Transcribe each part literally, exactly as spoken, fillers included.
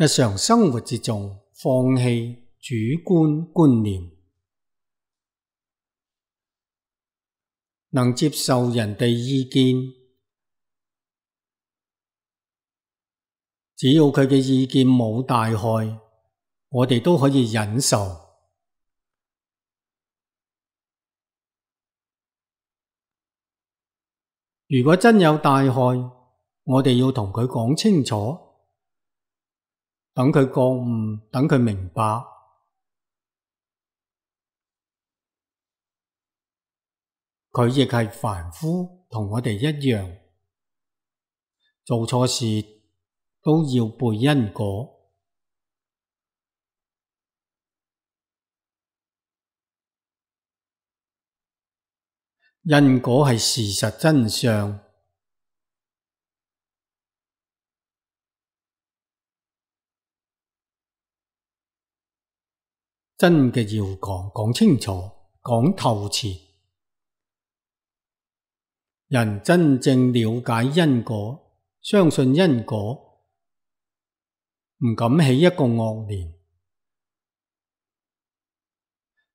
日常生活之中放棄主觀觀念，能接受人哋意見，只要佢嘅意見冇大害，我哋都可以忍受。如果真有大害，我哋要同佢講清楚，等佢覺悟，等佢明白。佢亦係凡夫，同我哋一樣，做錯事都要背因果。因果係事實真相，真嘅要講，講清楚，講透徹。人真正了解因果，相信因果，唔敢起一個惡念，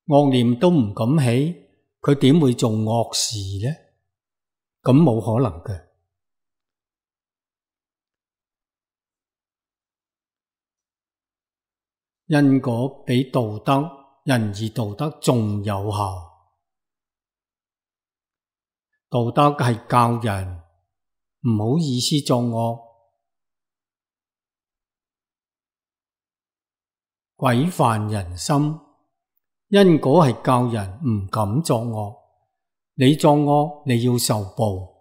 惡念都唔敢起，佢點會做惡事呢？咁冇可能嘅。因果比道德、仁義道德仲有效。道德係教人唔好意思作惡，規範人心。因果係教人唔敢作惡，你作惡你要受報。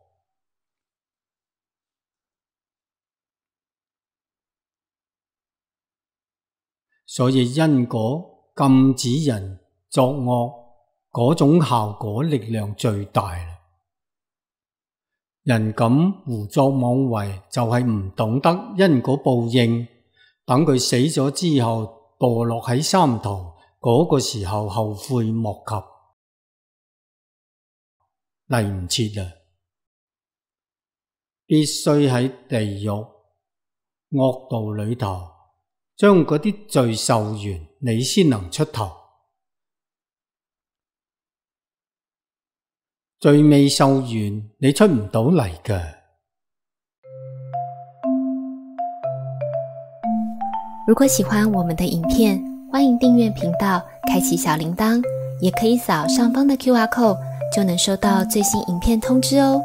所以因果禁止人作惡，嗰種效果力量最大啦。人咁胡作妄為，就係唔懂得因果報應，等佢死咗之後墮落喺三途，嗰個時候後悔莫及，嚟唔切啦。必須喺地獄惡道裏頭將嗰啲罪受完，你先能出頭。罪未受完，你出唔到嚟㗎。如果喜歡我們的影片，歡迎訂閱頻道，開啟小鈴鐺，也可以掃上方的 Q R code，就能收到最新影片通知哦。